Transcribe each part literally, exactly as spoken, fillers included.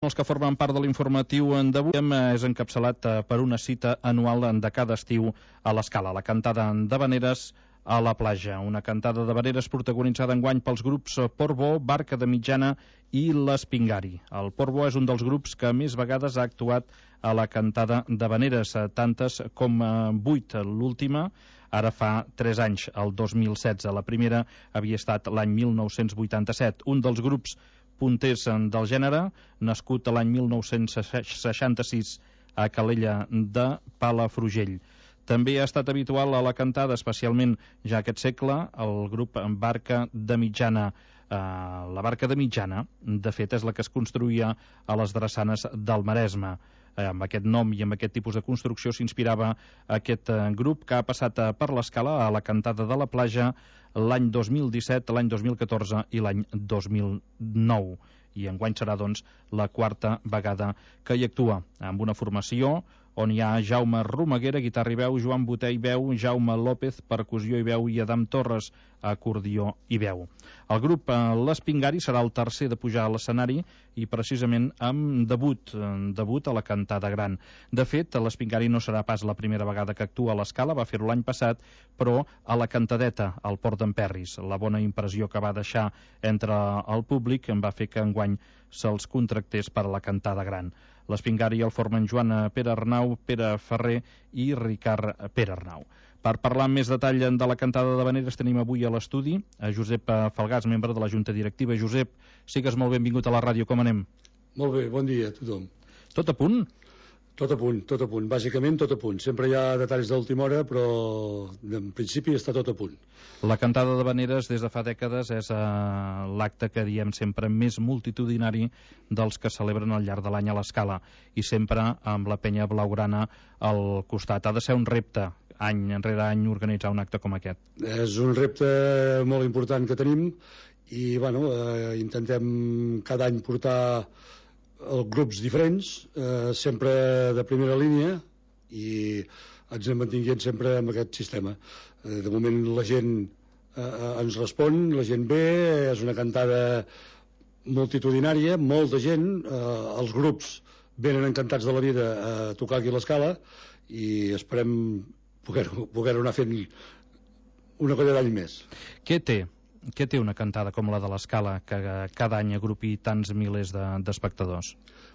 pels que formen part de l'informatiu d'avui és encapçalat per una cita anual de cada estiu a l'Escala, la cantada d'havaneres a la platja. Una cantada d'havaneres protagonitzada enguany pels grups Portbó, Barca de Mitjana i l'Espingari. El Portbó és un dels grups que més vegades ha actuat a la cantada d'havaneres, tantes com vuit. L'última ara fa tres anys, el dos mil setze. La primera havia estat l'any mil nou-cents vuitanta-set. Un dels grups punters del gènere, nascut l'any mil nou-cents seixanta-sis a Calella de Palafrugell. També ha estat habitual a la cantada, especialment ja aquest segle, el grup Barca de Mitjana. Uh, la Barca de Mitjana, de fet, és la que es construïa a les drassanes del Maresme. Uh, amb aquest nom i amb aquest tipus de construcció s'inspirava aquest uh, grup que ha passat uh, per l'Escala a la cantada de la platja l'any dos mil disset, l'any dos mil catorze i l'any dos mil nou. I enguany serà, doncs, la quarta vegada que hi actua, amb una formació on hi ha Jaume Romaguera, guitarra i veu, Joan Botey, veu, Jaume López, percussió i veu, i Adam Torres, acordió i veu. El grup L'Espingari serà el tercer de pujar a l'escenari i precisament amb debut, debut a la cantada gran. De fet, L'Espingari no serà pas la primera vegada que actua a l'Escala, va fer-ho l'any passat, però a la cantadeta, al Port d'en Perris. La bona impressió que va deixar entre el públic en va fer que enguany se'ls contractés per a la cantada gran. L'Espingari el formen Joan Pere Arnau, Pere Ferrer i Ricard Pere Arnau. Per parlar amb més detall de la cantada d'havaneres tenim avui a l'estudi a Josep Falgàs, membre de la Junta Directiva. Josep, sigues molt benvingut a la ràdio, com anem? Molt bé, bon dia a tothom. Tot a punt? Tot a punt, tot a punt, bàsicament tot a punt. Sempre hi ha detalls d'última hora, però en principi està tot a punt. La cantada d'havaneres des de fa dècades és eh, l'acte que diem sempre més multitudinari dels que celebren al llarg de l'any a l'Escala, i sempre amb la penya blaugrana al costat. Ha de ser un repte, any enrere any, organitzar un acte com aquest. És un repte molt important que tenim i bueno, eh, intentem cada any portar grups diferents, eh, sempre de primera línia, i ens anem mantinguent sempre amb aquest sistema. Eh, de moment la gent eh, ens respon, la gent ve, és una cantada multitudinària, molta gent, eh, els grups venen encantats de la vida a tocar aquí a l'Escala i esperem poder-ho poder anar fent una colla d'any més. Què té? Què té una cantada com la de l'Escala que cada any agrupi tants milers d'espectadors?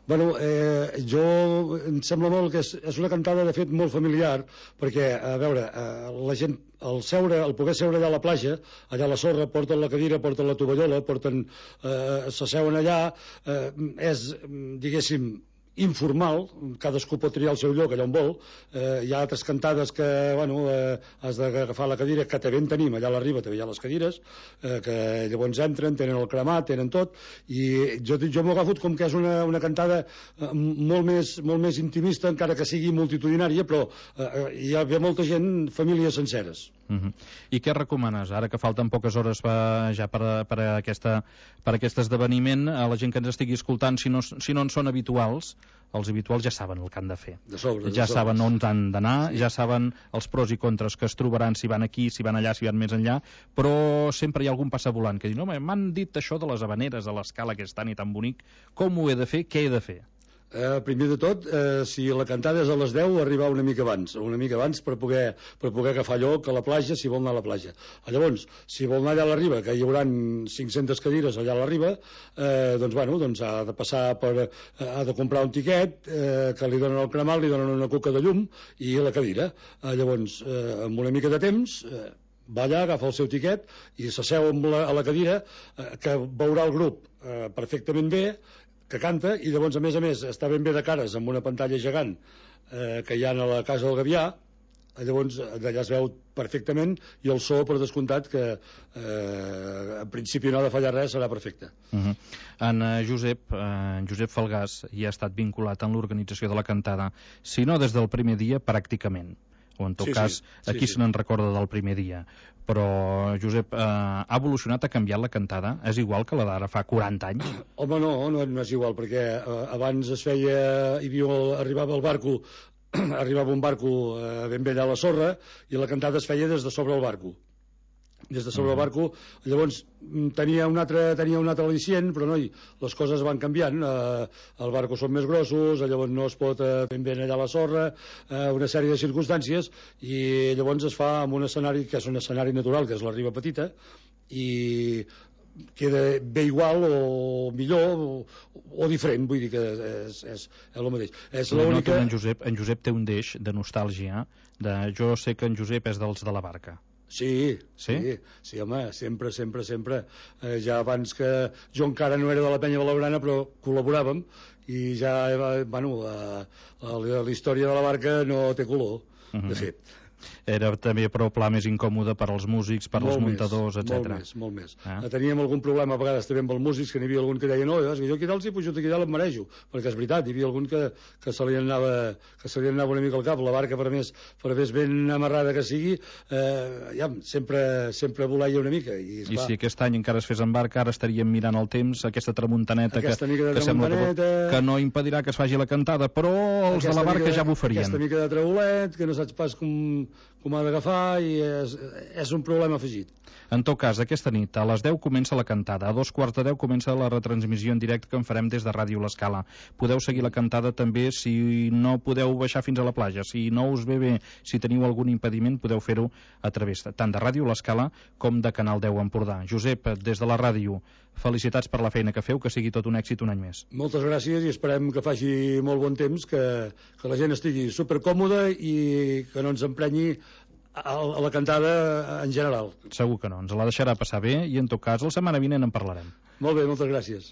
Bueno, eh, jo em sembla molt que és, és una cantada de fet molt familiar, perquè, a veure, eh, la gent, el seure, el poder seure allà a la platja, allà a la sorra, porten la cadira, porten la tovallola, porten, eh, s'asseuen allà, eh, és, diguéssim, informal, cadascú pot triar el seu lloc allà on vol. Eh, hi ha altres cantades que, bueno, eh, has d'agafar la cadira, que també en tenim, allà a la riba també hi ha les cadires, eh, que llavors entren, tenen el cremat, tenen tot, i jo, jo m'ho agafo com que és una, una cantada eh, molt, més, molt més intimista, encara que sigui multitudinària, però eh, hi ha molta gent, famílies senceres. Uh-huh. I què recomanes, ara que falten poques hores per, ja per, per, aquesta, per aquest esdeveniment, a la gent que ens estigui escoltant, si no, si no en són habituals, els habituals ja saben el que han de fer. De sobre, de ja sobre. saben on han d'anar, sí. Ja saben els pros i contres que es trobaran si van aquí, si van allà, si van més enllà, però sempre hi ha algun passavolant que diu, no, m'han dit això de les havaneres a l'Escala, que és tan i tan bonic, com ho he de fer, què he de fer? Eh, primer de tot, eh, si la cantada és a les deu, arribar una mica abans, una mica abans per poder, per poder agafar lloc a la platja, si vol anar a la platja. Llavors, si vol anar allà a la riba, que hi haurà cinc-centes cadires allà a la riba, eh, doncs, bueno, doncs ha de passar per, ha de comprar un tiquet, eh, que li donen el cremat, li donen una coca de llum i la cadira. Eh, llavors, eh, amb una mica de temps, eh, va allà, agafa el seu tiquet i s'asseu a la cadira, eh, que veurà el grup eh, perfectament bé, que canta, i llavors a més a més està ben bé de cares amb una pantalla gegant eh, que hi ha a la casa del Gavià. Llavors d'allà es veu perfectament, i el so, per descomptat, que eh, en principi no ha de fallar res, serà perfecte. Uh-huh. En uh, Josep, uh, Josep Falgàs hi ha estat vinculat en l'organització de la cantada, si no des del primer dia, pràcticament, o en tot sí, cas, sí, aquí sí, se n'en recorda del primer dia. Però, Josep, eh, ha evolucionat, ha canviat la cantada? És igual que la d'ara fa quaranta anys? Home, no, no, no és igual, perquè eh, abans es feia, hi havia, arribava el barco, arribava un barco eh, ben bé allà a la sorra, i la cantada es feia des de sobre el barco. des de sobre el barco. Llavors tenia un altre, tenia un altre al·licient, però noi, les coses van canviant. Eh, el barco són més grossos, llavors no es pot eh, ben bé allà a la sorra, eh, una sèrie de circumstàncies, i llavors es fa en un escenari que és un escenari natural, que és la riba petita, i queda bé igual o millor o, o diferent, vull dir que és, és, és el mateix. És l'única... En Josep, en Josep té un deix de nostàlgia, de jo sé que en Josep és dels de la barca. Sí, sí, sí, sí, home, sempre, sempre, sempre. Eh, ja abans que jo encara no era de la penya blaugrana, però col·laboràvem, i ja, bueno, la, la, la història de la barca no té color, uh-huh. de fet. Era també però pla més incòmode per als músics, per als muntadors, etcètera. Molt més, molt més. Ah. Teníem algun problema a vegades també amb els músics, que n'hi havia algun que deia no, és que jo aquí dalt si pujo aquí dalt em marejo, perquè és veritat, hi havia algun que, que se li anava que se li anava una mica al cap. La barca, per més, per més ben amarrada que sigui, eh, ja, sempre, sempre voleia una mica. I, I si aquest any encara es fes en barca, ara estaríem mirant el temps, aquesta tramuntaneta, aquesta que, que tramuntaneta... sembla que, que no impedirà que es faci la cantada, però els aquesta de la barca mica, ja bufarien. Aquesta mica de traulet, que no saps pas com, com ha d'agafar, i és, és un problema afegit. En tot cas, aquesta nit a les deu comença la cantada, a dos quarts de deu comença la retransmissió en directe que en farem des de Ràdio L'Escala. Podeu seguir la cantada també si no podeu baixar fins a la platja, si no us ve bé, si teniu algun impediment, podeu fer-ho a través tant de Ràdio L'Escala com de Canal deu Empordà. Josep, des de la ràdio, felicitats per la feina que feu, que sigui tot un èxit un any més. Moltes gràcies i esperem que faci molt bon temps, que, que la gent estigui supercòmoda i que no ens emprenyi a la cantada en general. Segur que no, ens la deixarà passar bé i en tot cas la setmana vinent en parlarem. Molt bé, moltes gràcies.